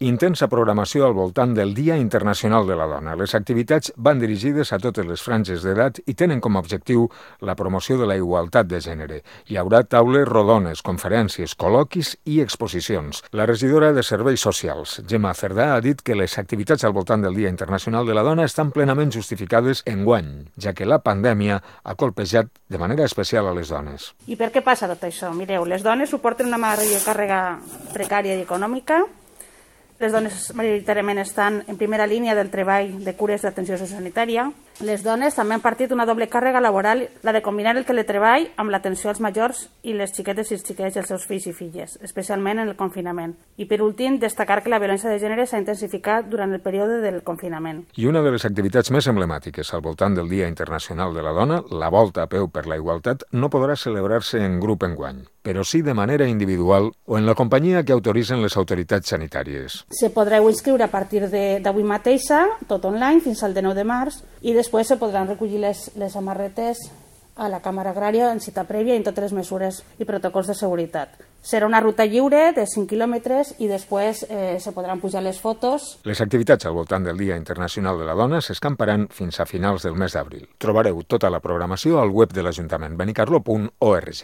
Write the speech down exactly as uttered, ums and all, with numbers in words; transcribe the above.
Intensa programació al voltant del Dia Internacional de la Dona. Les activitats van dirigides a totes les franges d'edat i tenen com a objectiu la promoció de la igualtat de gènere. Hi haurà taules rodones, conferències, col·loquis i exposicions. La regidora de Serveis Socials, Gemma Cerdà, ha dit que les activitats al voltant del Dia Internacional de la Dona estan plenament justificades enguany, ja que la pandèmia ha colpejat de manera especial a les dones. I per què passa tot això? Mireu, les dones suporten una major càrrega precària i econòmica. Les dones majoritàriament estan en primera línia del treball de cures d'atenció sociosanitària. Les dones també han partit una doble càrrega laboral, la de combinar el teletreball amb l'atenció als majors i les xiquetes i els xiquets i els seus fills i filles, especialment en el confinament. I per últim, destacar que la violència de gènere s'ha intensificat durant el període del confinament. I una de les activitats més emblemàtiques al voltant del Dia Internacional de la Dona, la Volta a peu per la igualtat, no podrà celebrar-se en grup enguany, però sí de manera individual o en la companyia que autoritzen les autoritats sanitàries. Se podreu inscriure a partir d'avui mateixa, tot online, fins al dinou de març, i després se podran recollir les, les samarretes a la Càmera Agrària en cita prèvia i en totes les mesures i protocols de seguretat. Serà una ruta lliure de cinc quilòmetres i després eh, se podran pujar les fotos. Les activitats al voltant del Dia Internacional de la Dona s'escamparan fins a finals del mes d'abril. Trobareu tota la programació al web de l'Ajuntament, benicarló punt org.